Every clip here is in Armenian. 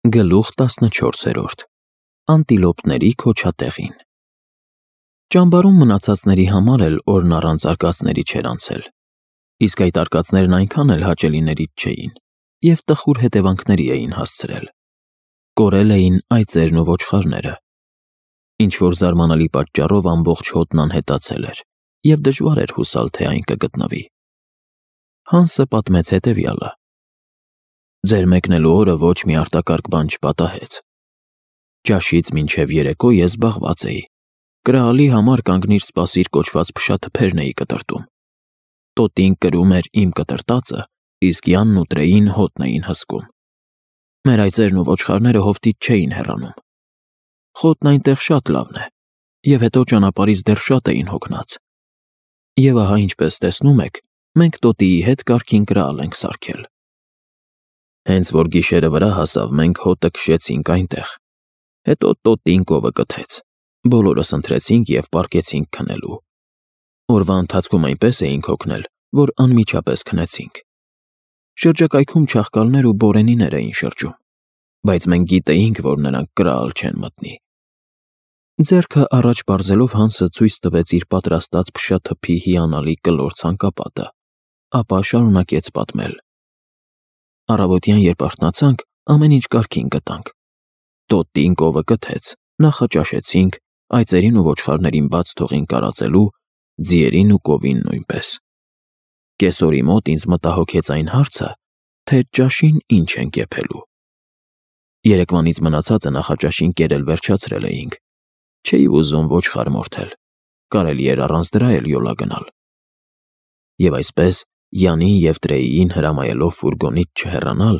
Գլուխ 14. Անտիլոպների քոչատեղին։ Ճամբարում մնացածների համար էլ օրն առանց արկածների չէր անցել, իսկ այդ արկածներն այնքան էլ հաճելիներից չէին և տխուր հետևանքների էին հասցրել։ Կորել էին այծերն ու ոչխարները, ինչ-որ զարմանալի պատճառով ամբողջ հոտն անհետացել էր և դժվար էր հուսալ, թե այն կգտնվի։ Հանսը պատմեց հետևյալը. Ձեր մեկնելու օրը ոչ մի արտակարգ բան չպատահեց։ Ճաշից մինչև երեկո ես զբաղված էի։ Կրահալի համար կանգնիր սպասիր կոչված փշաթփերն էի կտրտում։ Տոտին կրում էր իմ կտրտածը, իսկ Յանն ու Տրեին հոտն էին հսկում։ Մեր այծերն ու ոչխարները հովտից չէին հեռանում։ Խոտն այնտեղ շատ լավն է, և հետո ճանապարհից դեռ շատ էին հոգնած։ Եվ ահա ինչպես տեսնում եք, մենք տոտիի հետ կարգին կրահալ ենք սարքել։ Հենց որ գիշերը վրա հասավ, մենք հոտը քշեցինք այնտեղ։ Հետո տոտին կովը կթեց։ Բոլորս ընթրեցինք և պառկեցինք քնելու։ Օրվա ընթացքում այնպես էինք հոգնել, որ անմիջապես քնեցինք։ Շրջակայքում չաղկալներ ու բորենիներ էին շրջում, բայց մենք գիտեինք, որ նրանք կրահալ չեն մտնի։ Ձեռքը առաջ պարզելով Հանսը ցույց տվեց իր պատրաստած փշաթփի հիանալի կլոր ցանկապատը, ապա շարունակեց պատմել. Առավոտյան, երբ արթնացանք, ամեն ինչ կարգին գտանք։ Տոտին կովը կթեց, նախաճաշեցինք, այծերին ու ոչխարներին բաց թողին կարածելու, ձիերին ու կովին նույնպես։ Կեսօրի մոտ ինձ մտահոգեց այն հարցը, թե ճաշին ինչ ենք եփելու։ Երեկվանից մնացածը նախաճաշին կերել վերջացրել էինք։ Չէի ուզում ոչխար մորթել, կարելի էր առանց դրա էլ յոլա գնալ։ Եվ այսպես, Յանին և Տրեիին հրամայելով ֆուրգոնից չհեռանալ,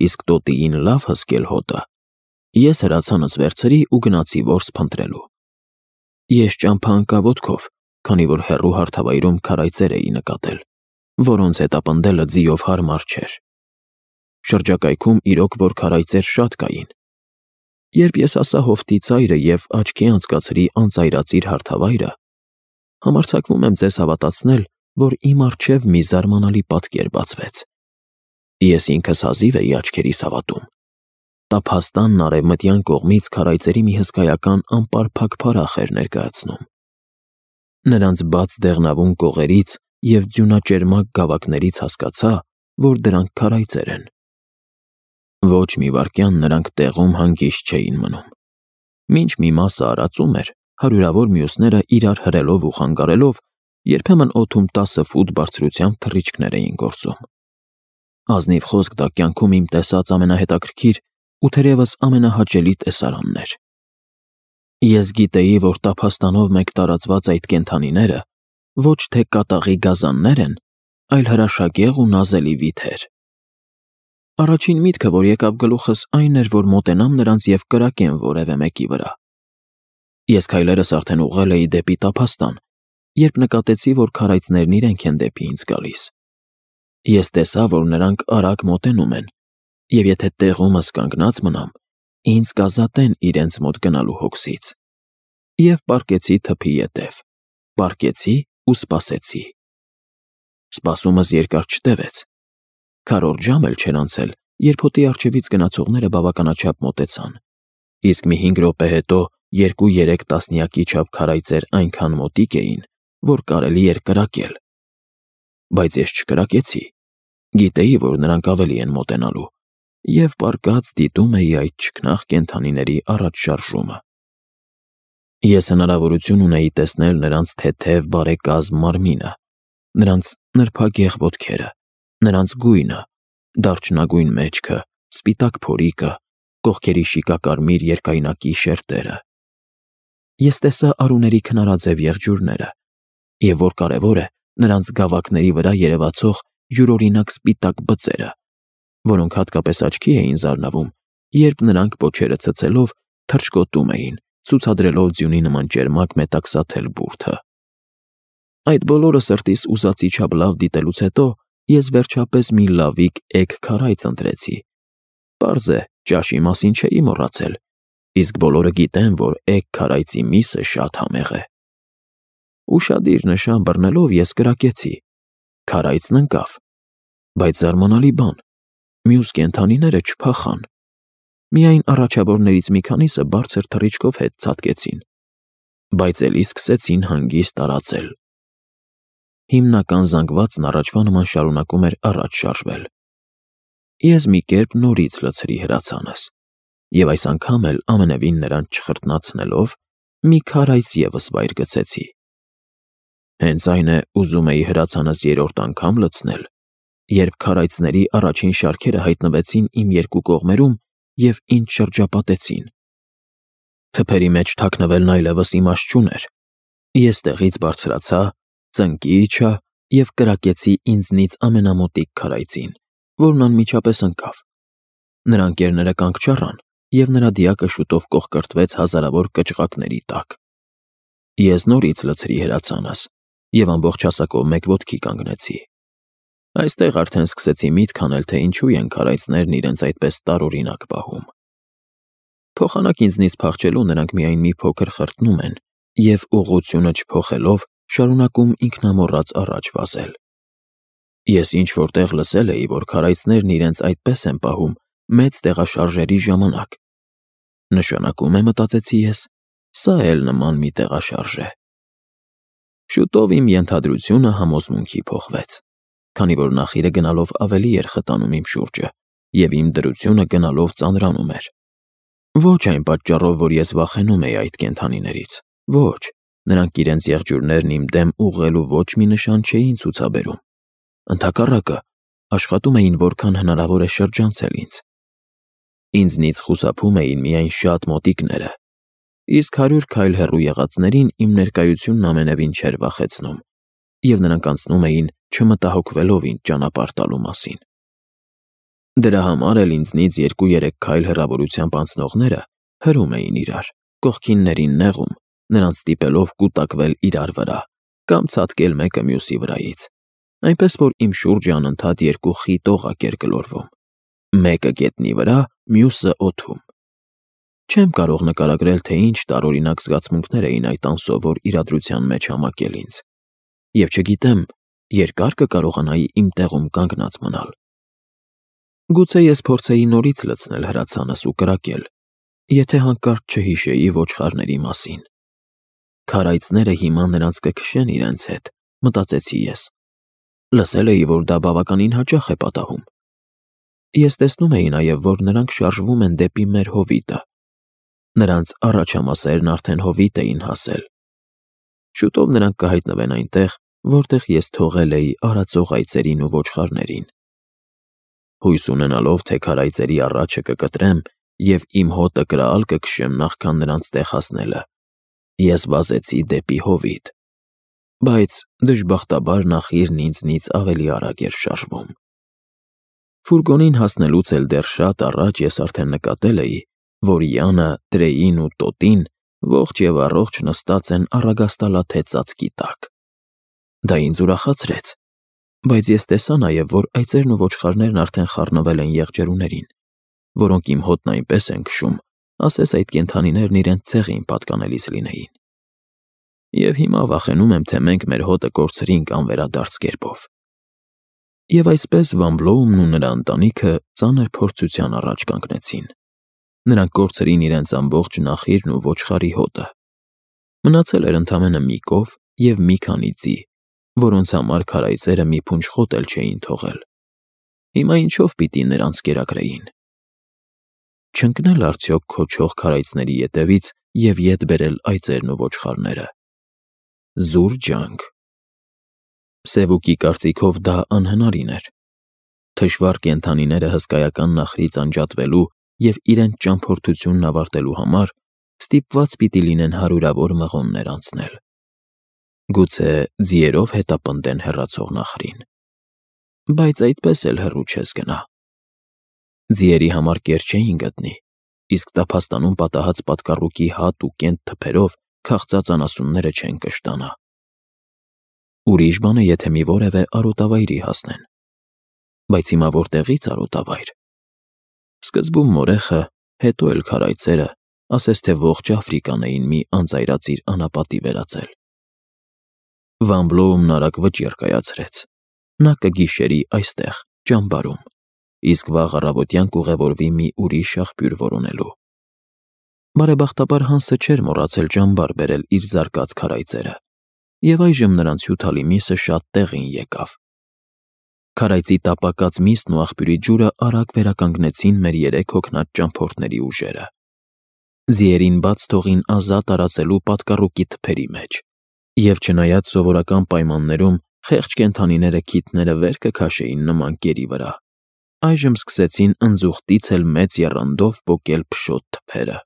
իսկ տոտիին լավ հսկել հոտը, ես հրացանս վերցրի ու գնացի որս փնտրելու։ Ես ճամփա ընկա ոտքով, քանի որ հեռու հարթավայրում քարայծեր էի նկատել, որոնց հետապնդելը ձիով հարմար չէր։ Շրջակայքում իրոք որ քարայծեր շատ կային։ Երբ ես հասա հովտի ծայրը և աչքի անցկացրի անծայրածիր հարթավայրը, համարձակվում եմ ձեզ հավատացնել, որ իմ առջև մի զարմանալի պատկեր բացվեց։ Ես ինքս հազիվ էի աչքերիս հավատում։ Տափաստանն արևմտյան կողմից քարայծերի մի հսկայական անպարփակ փարախ էր ներկայացնում։ Նրանց բաց դեղնավուն կողերից և ձյունաճերմակ գավակներից հասկացա, որ դրանք քարայծեր են։ Ոչ մի վայրկյան նրանք տեղում հանգիստ չէին մնում։ Մինչ մի մասը արածում էր, հարյուրավոր մյուսները իրար հրելով ու խանգարելով, երբեմն օդում 10 ֆուտ բարձրությամբ թռիչքներ էին գործում։ Ազնիվ խոսք դա կյանքում իմ տեսած ամենահետաքրքիր ու թերևս ամենահաճելի տեսարանն էր։ Ես գիտեի, որ տափաստանով մեկ տարածված այդ կենդանիները ոչ թե կատաղի գազաններ են, այլ հրաշագեղ ու նազելի վիթեր։ Առաջին միտքը, որ եկավ գլուխս, այն էր, որ մոտենամ նրանց և կրակեմ որևէ մեկի վրա։ Ես քայլերս արդեն ուղղել էի դեպի տափաստան, երբ նկատեցի, որ քարայծներն իրենք են դեպի ինձ գալիս։ Ես տեսա, որ նրանք արագ մոտենում են, և եթե տեղումս կանգնած մնամ, ինձ կազատեն իրենց մոտ գնալու հոգսից։ Եվ պառկեցի թփի ետև, պառկեցի ու սպասեցի։ Սպասումս երկար չտևեց։ Քառորդ ժամ էլ չէր անցել, երբ հոտի առջևից գնացողները բավականաչափ մոտեցան, իսկ մի 5 րոպե հետո 2-3 տասնյակի չափ քարայծեր այնքան մոտիկ էին, որ կարելի էր կրակել։ Բայց ես չկրակեցի։ Գիտեի, որ նրանք ավելի են մոտենալու, և պառկած դիտում էի այդ չքնաղ կենդանիների առաջ շարժումը։ Ես հնարավորություն ունեի տեսնել նրանց թեթև բարեկազմ մարմինը, նրանց նրբագեղ ոտքերը, նրանց գույնը, դարչնագույն մեջքը, սպիտակ փորիկը, կողքերի շիկակարմիր երկայնակի շերտերը։ Ես տեսա արուների քնարաձև եղջյուրները, և որ կարևոր է, նրանց գավակների վրա երևացող յուրօրինակ սպիտակ բծերը, որոնք հատկապես աչքի էին զարնավում, երբ նրանք պոչերը ցցելով թռչկոտում էին, ցուցադրելով ձյունի նման ճերմակ մետաքսաթել բուրդը։ Այդ բոլորը սրտիս ուզածի չափ լավ դիտելուց հետո ես վերջապես մի լավիկ էգ քարայծ ընտրեցի։ Պարզ է, ճաշի մասին չէի մոռացել, իսկ բոլորը գիտեն, որ էգ քարայծի միսը շատ համեղ է։ Ուշադիր նշան բռնելով ես կրակեցի։ Քարայծն ընկավ, բայց զարմանալի բան, մյուս կենդանիները չփախան։ Միայն առաջավորներից մի քանիսը բարձր թռիչքով հետ ցատկեցին, բայց էլի սկսեցին հանգիստ տարածել։ Հիմնական զանգվածն առաջվա նման շարունակում էր առաջ շարժվել։ Ես մի կերպ նորից լցրի հրացանս, և այս անգամ էլ ամենևին նրան չխրտնացնելով, մի քարայց ևս վայր գցեցի։ Հենց այն է ուզում էի հրացանս երրորդ անգամ լցնել, երբ քարայծների առաջին շարքերը հայտնվեցին իմ երկու կողմերում և ինձ շրջապատեցին։ Թփերի մեջ թաքնվելն այլևս իմաստ չուներ։ Ես տեղից բարձրացա, ծնկի իջա և կրակեցի ինձնից ամենամոտիկ քարայծին, որն անմիջապես ընկավ։ Նրա ընկերները կանգ չառան, և նրա դիակը շուտով կոխկրտվեց հազարավոր կճղակների տակ։ Ես նորից լցրի հրացանս և ամբողջ հասակով մեկ ոտքի կանգնեցի։ Այստեղ արդեն սկսեցի միտք անել, թե ինչու են քարայծներն իրենց այդպես տարօրինակ պահում։ Փոխանակ ինձնից փախչելու նրանք միայն մի փոքր խրտնում են և ուղղությունը չփոխելով շարունակում ինքնամոռաց առաջ վազել։ Ես ինչ-որ տեղ լսել էի, որ քարայծներն իրենց այդպես են պահում մեծ տեղաշարժերի ժամանակ։ Նշանակում է, մտածեցի ես, սա էլ նման մի տեղաշարժ է։ Շուտով իմ ենթադրությունը համոզմունքի փոխվեց, քանի որ նախիրը գնալով ավելի էր խտանում իմ շուրջը, և իմ դրությունը գնալով ծանրանում էր։ Ոչ այն պատճառով, որ ես վախենում էի այդ կենդանիներից, ոչ, նրանք իրենց եղջյուրներն իմ դեմ ուղղելու ոչ մի նշան չէին ցուցաբերում։ Ընդհակառակը, աշխատում էին որքան հնարավոր է շրջանցել ինձ։ Ինձնից խուսափում էին միայն շատ մոտիկները, իսկ 100 քայլ հեռու եղածներին իմ ներկայությունն ամենևին չէր վախեցնում, և նրանք անցնում էին չմտահոգվելով ինձ ճանապարհ տալու մասին։ Դրա համար էլ ինձնից 2-3 քայլ հեռավորությամբ անցնողները հրում էին իրար, կողքիններին նեղում, նրանց ստիպելով կուտակվել իրար վրա կամ ցատկել մեկը մյուսի վրայից, այնպես որ իմ շուրջը անընդհատ երկու խիտ օղակ էր գլորվում, մեկը գետնի վրա, մյուսը օդում։ Չեմ կարող նկարագրել, թե ինչ տարօրինակ զգացմունքներ էին այդ անսովոր իրադրության մեջ համակել ինձ, և չգիտեմ, երկա՞ր կկարողանայի իմ տեղում կանգնած մնալ։ Գուցե ես փորձեի նորից լցնել հրացանս ու կրակել, եթե հանկարծ չհիշեի ոչխարների մասին։ Քարայծները հիմա նրանց կքշեն իրենց հետ, մտածեցի ես։ Լսել էի, որ դա բավականին հաճախ է պատահում։ Ես տեսնում էի նաև, որ նրանք շարժվում են դեպի մեր հովիտը։ Նրանց առաջամասերն արդեն հովիտ էին հասել։ Շուտով նրանք կհայտնվեն այնտեղ, որտեղ ես թողել էի արածող այծերին ու ոչխարներին։ Հույս ունենալով, թե քարայծերի առաջը կկտրեմ և իմ հոտը կրալ կքշեմ նախքան նրանց տեղ հասնելը, ես վազեցի դեպի հովիտ, բայց դժբախտաբար նախիրն ինձնից ավելի արագ էր շարժվում։ Ֆուրգոնին հասնելուց էլ դեռ շատ առաջ ես արդեն նկատել էի, որ Յանը, Տրեին ու Տոտին ողջ և առողջ նստած են առագաստալաթե ծածկի տակ։ Դա ինձ ուրախացրեց, բայց ես տեսա նաև, որ այծերն ու ոչխարներն արդեն խառնվել են եղջերուներին, որոնք իմ հոտն այնպես են քշում, ասես այդ կենդանիներն իրենց ցեղին պատկանելիս լինեին։ Եվ հիմա վախենում եմ, թե մենք մեր հոտը կորցրինք անվերադարձ կերպով։ Եվ այսպես Վան Բլոումն ու նրա ընտանիքը ծանր փորձության առաջ կանգնեցին։ Նրանք կորցրին իրենց ամբողջ նախիրն ու ոչխարի հոտը։ Մնացել էր ընդամենը մի կով և մի քանի ձի, որոնց համար քարայծերը մի փունջ էլ չէին թողել։ Հիմա ինչով պիտի նրանց կերակրեին։ Չընկնել արդյոք քոչող քարայծների ետևից և ետ բերել այծերն ու ոչխարները։ Զուր ջանք։ Սևուկի կարծիքով դա անհնարին էր։ Թշվառ կենդանիները հսկայական նախրից անջատվելու և իրենց ճամփորդությունն ավարտելու համար ստիպված պիտի լինեն հարյուրավոր մղոններ անցնել։ Գուցե ձիերով հետապնդեն հեռացող նախրին։ Բայց այդպես էլ հեռու չես գնա։ Ձիերի համար կեր չէին գտնի, իսկ տափաստանում պատահած պատկառուկի հատ ու կենտ թփերով քաղցած անասունները չեն կշտանա։ Ուրիշ բան է, եթե մի որևէ արոտավայրի հասնեն։ Բայց հիմա որտեղի՞ց արոտավայր։ Սկզբում մորեխը, հետո էլ քարայծերը, ասես թե ողջ Աֆրիկան էին մի անձայրածիր անապատի վերածել։ Վան Բլոումն արագ վճիռ կայացրեց։ Նա կգիշերի այստեղ, ճամբարում, իսկ վաղ առավոտյան կուղևորվի մի ուրիշ աղբյուր որոնելու։ Բարեբախտաբար Հանսը չէր մոռացել ճամբար բերել իր զարկած քարայծերը, և այժմ նրանց հյութալի միսը շատ տեղին եկավ։ Քարայծի տապակած միսն ու աղբյուրի ջուրը արագ վերականգնեցին մեր երեք հոգնած ճամփորդների ուժերը։ Ձիերին բաց թողին ազատ արածելու պատկառուկի թփերի մեջ, և չնայած սովորական պայմաններում խեղճ կենդանիները քիթները վեր կքաշեին նման կերի վրա, այժմ սկսեցին ընձուղտից էլ մեծ եռանդով պոկել փշոտ թփերը։